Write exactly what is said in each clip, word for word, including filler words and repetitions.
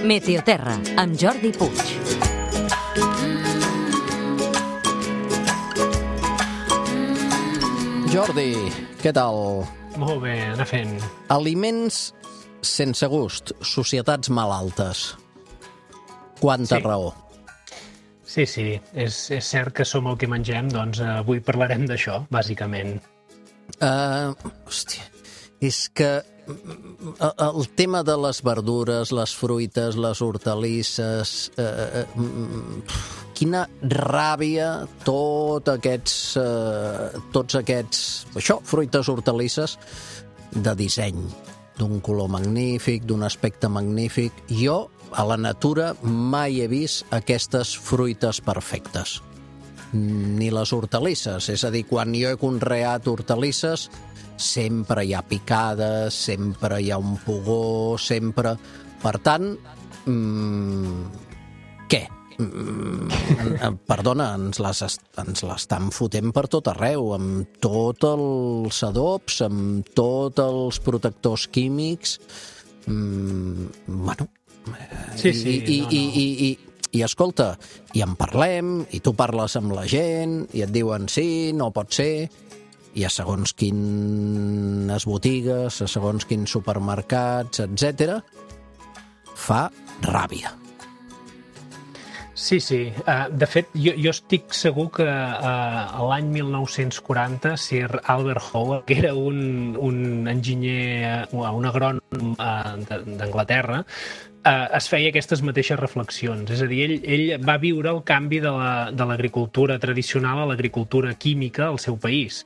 Meteoterra, amb Jordi Puig. Jordi, què tal? Molt bé, anar fent. Aliments sense gust, societats malaltes. Quanta Sí. raó. Sí, sí, és, és cert que som el que mengem, doncs eh, avui parlarem d'això, bàsicament. Uh, hòstia, és que uh, el tema de les verdures, les fruites, les hortalisses, uh, uh, quina ràbia tot aquests, uh, tots aquests, això, fruites, hortalisses de disseny, d'un color magnífic, d'un aspecte magnífic. Jo, a la natura, mai he vist aquestes fruites perfectes. Ni les hortalisses, és a dir, quan jo he conreat hortalisses sempre hi ha picades, sempre hi ha un pugó, sempre... Per tant, mmm, què? Mm, perdona, ens les, ens l'estan fotent per tot arreu, amb tots els adobs, amb tots els protectors químics... Mm, bueno... Sí, sí, I, i, no, no. i, i, i, i escolta, i en parlem, i tu parles amb la gent, i et diuen sí, no pot ser, i a segons quines botigues, a segons quins supermercats, etcètera, fa ràbia. Sí, sí. Uh, de fet, jo, jo estic segur que uh, l'any mil nou-cents quaranta Sir Albert Howard, que era un, un enginyer, uh, un agrònom uh, d'Anglaterra, uh, es feia aquestes mateixes reflexions. És a dir, ell, ell va viure el canvi de la, de l'agricultura tradicional a l'agricultura química al seu país.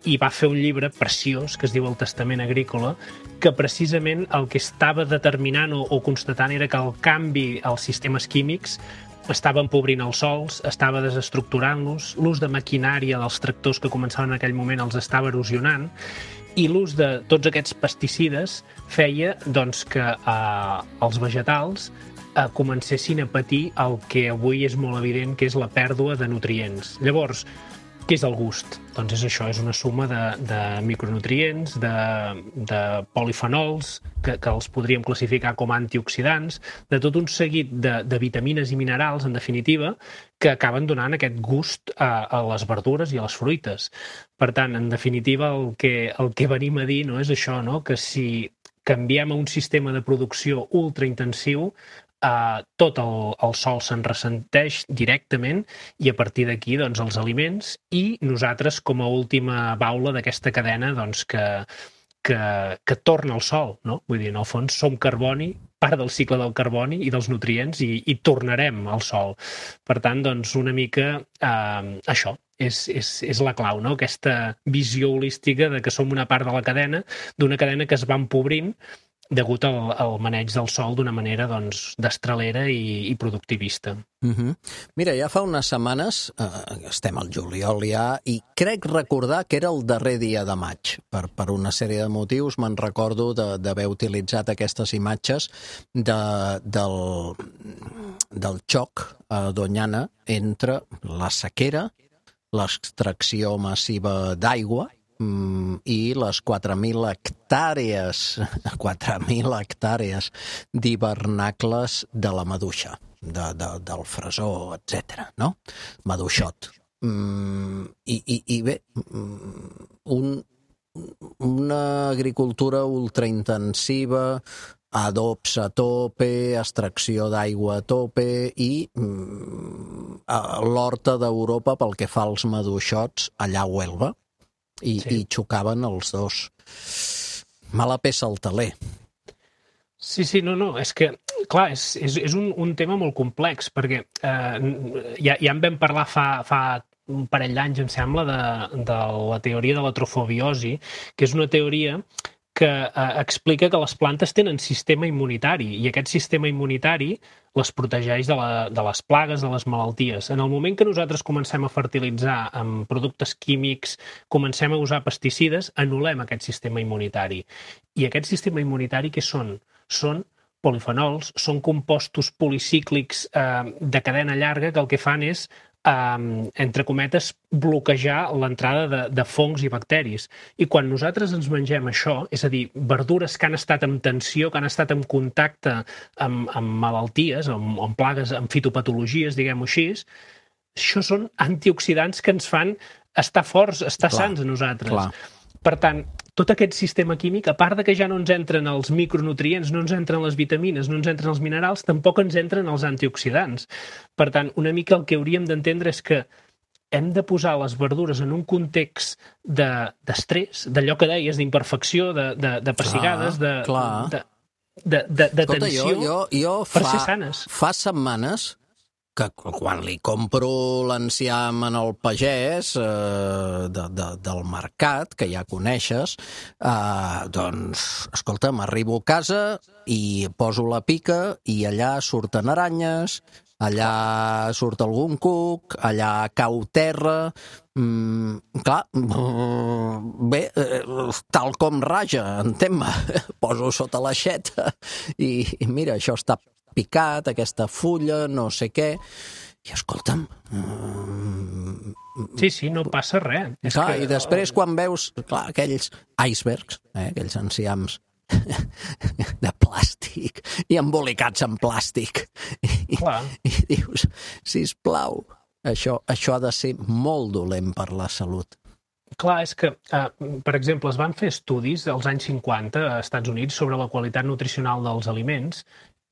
I va fer un llibre preciós que es diu El Testament Agrícola, que precisament el que estava determinant o, o constatant era que el canvi als sistemes químics estava empobrint els sols, estava desestructurant-los, l'ús de maquinària dels tractors que començaven en aquell moment els estava erosionant, i l'ús de tots aquests pesticides feia doncs, que eh, els vegetals eh, comencessin a patir el que avui és molt evident que és la pèrdua de nutrients. Llavors, què és el gust? Doncs és això, és una suma de, de micronutrients, de, de polifenols, que, que els podríem classificar com antioxidants, de tot un seguit de, de vitamines i minerals, en definitiva, que acaben donant aquest gust a, a les verdures i a les fruites. Per tant, en definitiva, el que, el que venim a dir no és això, no? Que si canviem a un sistema de producció ultraintensiu, Uh, tot el, el sol se'n ressenteix directament i a partir d'aquí doncs, els aliments i nosaltres com a última baula d'aquesta cadena doncs, que, que, que torna al sol. No? Vull dir, en el fons som carboni, part del cicle del carboni i dels nutrients i, i tornarem al sol. Per tant, doncs, una mica uh, això. És, és, és la clau, no? Aquesta visió holística de que som una part de la cadena, d'una cadena que es va empobrint degut al, al maneig del sol d'una manera doncs, destralera i, i productivista. Uh-huh. Mira, ja fa unes setmanes, eh, estem al juliol ja, i crec recordar que era el darrer dia de maig. Per, per una sèrie de motius me'n recordo d'haver utilitzat aquestes imatges de, del, del xoc a Doñana entre la sequera, l'extracció massiva d'aigua, Mm, i les quatre mil hectàrees, quatre mil hectàrees d'hivernacles de la maduixa, de, de, del fresó, etcètera, no? Maduixot. Mm, i, i, I bé, un, una agricultura ultraintensiva, adobs a tope, extracció d'aigua a tope i mm, l'horta d'Europa pel que fa als maduixots allà a Huelva. I, sí. I xocaven els dos. Mala peça al teler. Sí, sí, no, no, és que, clar, és, és, és un, un tema molt complex, perquè eh, ja, ja en vam parlar fa, fa un parell d'anys, em sembla, de, de la teoria de la trofobiosi, que és una teoria que eh, explica que les plantes tenen sistema immunitari i aquest sistema immunitari les protegeix de, la, de les plagues, de les malalties. En el moment que nosaltres comencem a fertilitzar amb productes químics, comencem a usar pesticides, anul·lem aquest sistema immunitari. I aquest sistema immunitari què són? Són polifenols, són compostos policíclics eh, de cadena llarga que el que fan és Um, entre cometes, bloquejar l'entrada de, de fongs i bacteris. I quan nosaltres ens mengem això, és a dir, verdures que han estat en tensió, que han estat en contacte amb, amb malalties, amb, amb plagues, amb fitopatologies, diguem-ho així, això són antioxidants que ens fan estar forts, estar clar, sants a nosaltres. Clar. Per tant, tot aquest sistema químic, a part de que ja no ens entren els micronutrients, no ens entren les vitamines, no ens entren els minerals, tampoc ens entren els antioxidants. Per tant, una mica el que hauríem d'entendre és que hem de posar les verdures en un context d'estrès, de, d'allò que deies, d'imperfecció, de, de, de pessigades, de, de, de, de, de Escolta, tensió, jo, jo, jo per fa, ser sanes. Fa setmanes que quan li compro l'enciam en el pagès eh, de, de, del mercat, que ja coneixes, eh, doncs, escolta, m'arribo a casa i poso la pica i allà surten aranyes, allà surt algun cuc, allà cau terra. Mm, clar, bé, eh, tal com raja, entén-me, poso sota l'aixeta i, i mira, això està picat, aquesta fulla, no sé què, i escolta'm... Um... Sí, sí, no passa res. És clar, que... I després quan veus, clar, aquells icebergs, eh, aquells enciams de plàstic i embolicats en plàstic, i, i dius, sisplau, això, això ha de ser molt dolent per la salut. Clar, és que, eh, per exemple, es van fer estudis als anys cinquanta a Estats Units sobre la qualitat nutricional dels aliments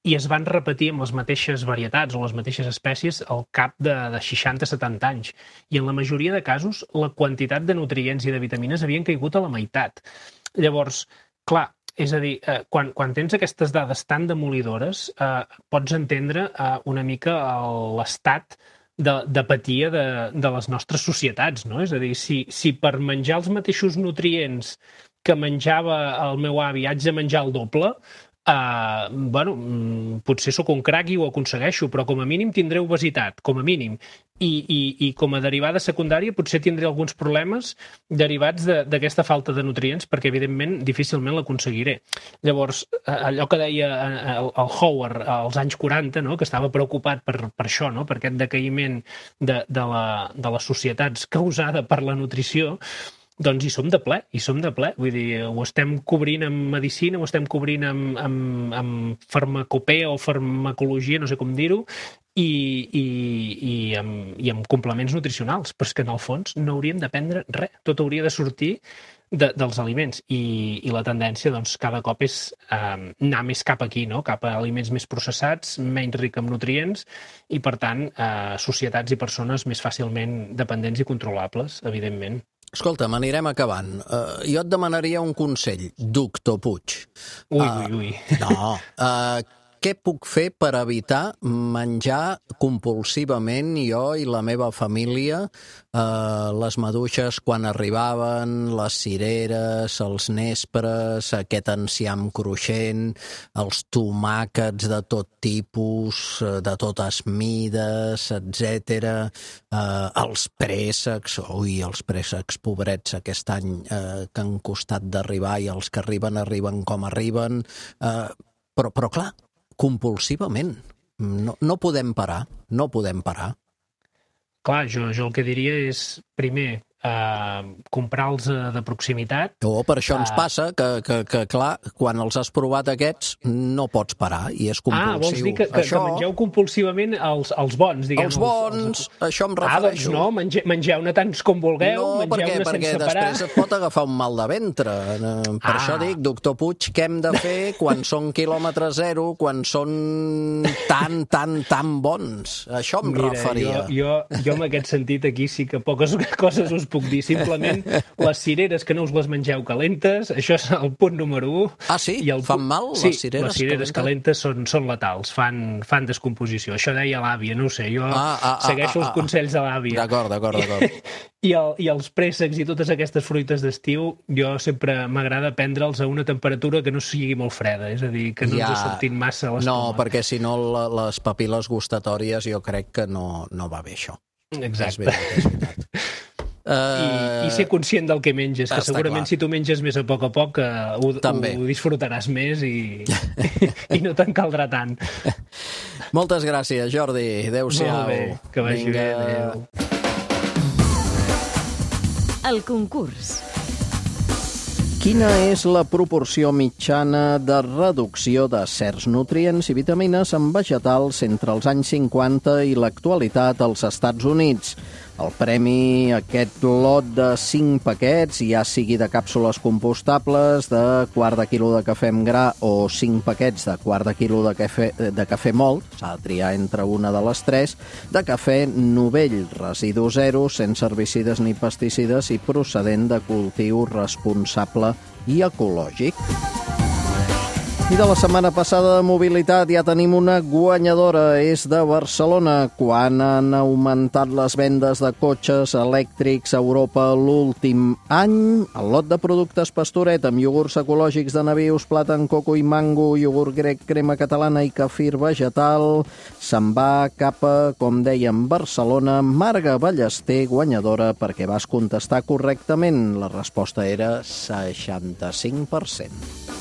i es van repetir amb les mateixes varietats o les mateixes espècies al cap de, de seixanta a setanta anys. I en la majoria de casos, la quantitat de nutrients i de vitamines havien caigut a la meitat. Llavors, clar, és a dir, eh, quan, quan tens aquestes dades tan demolidores, eh, pots entendre eh, una mica l'estat d'apatia de, de les nostres societats, no? És a dir, si, si per menjar els mateixos nutrients que menjava el meu avi haig de menjar el doble, Uh, bueno, potser sóc un crac i ho aconsegueixo, però com a mínim tindré obesitat, com a mínim. I, i, i com a derivada secundària potser tindré alguns problemes derivats d'aquesta de, falta de nutrients, perquè evidentment difícilment l'aconseguiré. Llavors, allò que deia el, el Howard als anys quaranta, no? Que estava preocupat per, per això, no? Per aquest decaïment de, de, la, de les societats causada per la nutrició, doncs hi som de ple, hi som de ple. Vull dir, ho estem cobrint amb medicina, ho estem cobrint amb, amb, amb farmacopea o farmacologia, no sé com dir-ho, i, i, i, amb, i amb complements nutricionals. Però és que en el fons no hauríem de prendre res. Tot hauria de sortir de, dels aliments. I, i la tendència, doncs, cada cop és eh, anar més cap aquí, no? Cap a aliments més processats, menys ric en nutrients, i, per tant, eh, societats i persones més fàcilment dependents i controlables, evidentment. Escolta, m'anirem acabant. Uh, jo et demanaria un consell, doctor Puig. Ui, uh, ui, ui. No. Uh, què puc fer per evitar menjar compulsivament jo i la meva família uh, les maduixes quan arribaven, les cireres, els nespres, aquest enciam cruixent, els tomàquets de tot tipus, de totes mides, etcètera, uh, els préssecs, ui, els préssecs pobrets aquest any uh, que han costat d'arribar i els que arriben, arriben com arriben, uh, però, però clar, compulsivament. No, no podem parar, no podem parar. Clar, jo, jo el que diria és, primer, eh, comprar-los de proximitat. O per això ens passa que, que, que, clar, quan els has provat aquests, no pots parar, i és compulsiu. Ah, vols dir que, que, això... que mengeu compulsivament els, els bons, diguem. Els bons, els, els... això em refereixo. Ah, doncs no, mange, mengeu-ne tants com vulgueu, no, mengeu-ne perquè, sense perquè parar. després et pot agafar un mal de ventre. Per ah. això dic, doctor Puig, què hem de fer quan són quilòmetre zero, quan són tan, tan, tan bons? Això em Mira, referia. Jo, jo, jo en aquest sentit aquí sí que poques coses us puc dir. Simplement, les cireres que no us les mengeu calentes, això és el punt número u. Ah, sí? I el fan mal, sí, les cireres les cireres calentes, calentes són, són letals, fan, fan descomposició. Això deia l'àvia, no ho sé, jo ah, ah, segueixo ah, ah, els consells de l'àvia. D'acord, d'acord, d'acord. I, el, I els préssecs i totes aquestes fruites d'estiu, jo sempre m'agrada prendre'ls a una temperatura que no sigui molt freda, és a dir, que no ja... ens sortin massa a l'estómac. No, perquè si no la, les papil·les gustatòries jo crec que no, no va bé això. Exacte. És veritat, és veritat. I, I ser conscient del que menges, que segurament clar. si tu menges més a poc a poc uh, ho, ho disfrutaràs més i, i no te'n caldrà tant. Moltes gràcies, Jordi. Adéu-siau. Molt bé, que vagi bé. Adéu. El concurs. Quina és la proporció mitjana de reducció de certs nutrients i vitamines en vegetals entre els anys cinquanta i l'actualitat als Estats Units? El premi, aquest lot de cinc paquets, ja sigui de càpsules compostables, de quart de quilo de cafè amb gra o cinc paquets de quart de quilo de cafè, de cafè mòlt, s'ha de triar entre una de les tres, de cafè novell, residu zero, sense herbicides ni pesticides i procedent de cultiu responsable i ecològic. I de la setmana passada de mobilitat ja tenim una guanyadora, és de Barcelona. Quan han augmentat les vendes de cotxes elèctrics a Europa l'últim any, el lot de productes Pastoret amb iogurts ecològics de nabius, plàtan, coco i mango, iogurt grec, crema catalana i kefir vegetal, se'n va cap a, com dèiem, Barcelona. Marga Ballester, guanyadora, perquè vas contestar correctament. La resposta era seixanta-cinc per cent.